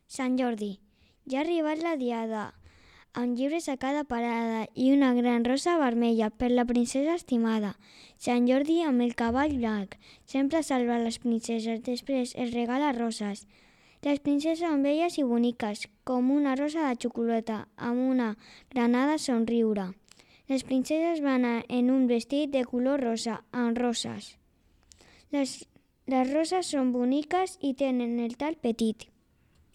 Sant Jordi. Ja ha arribat la diada, amb llibres a cada parada i una gran rosa vermella per la princesa estimada. Sant Jordi amb el cavall blanc sempre salva les princeses, després els regala roses. Les princeses són belles i boniques, com una rosa de xocolata, amb una granada somriure. Les princeses van en un vestit de color rosa, amb roses. Les roses són boniques i tenen el tall petit.